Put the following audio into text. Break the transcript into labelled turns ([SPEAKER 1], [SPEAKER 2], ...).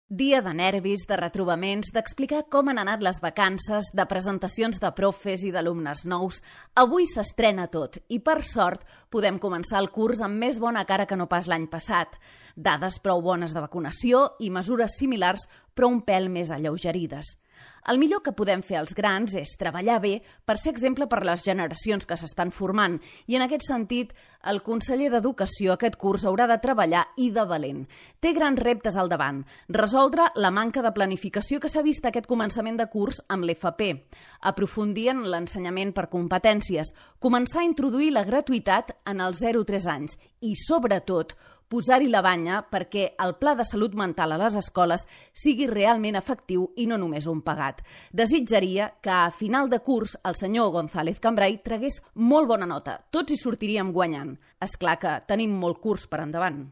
[SPEAKER 1] Dia de nervis, de retrobaments, d'explicar com han anat les vacances, de presentacions de profes i d'alumnes nous. Avui s'estrena tot i, per sort, podem començar el curs amb més bona cara que no pas l'any passat. Dades prou bones de vacunació i mesures similars, però un pèl més alleugerides. El millor que podem fer els grans és treballar bé per ser exemple per les generacions que s'estan formant i, en aquest sentit, el conseller d'Educació aquest curs haurà de treballar i de valent. Té grans reptes al davant. Resoldre la manca de planificació que s'ha vist aquest començament de curs amb l'FP, aprofundir en l'ensenyament per competències, començar a introduir la gratuïtat en els 0-3 anys i, sobretot, posar-hi la banya perquè el pla de salut mental a les escoles sigui realment efectiu i no només un pagat. Desitjaria que a final de curs el senyor González Cambray tragués molt bona nota. Tots hi sortiríem guanyant. És clar que tenim molt curs per endavant.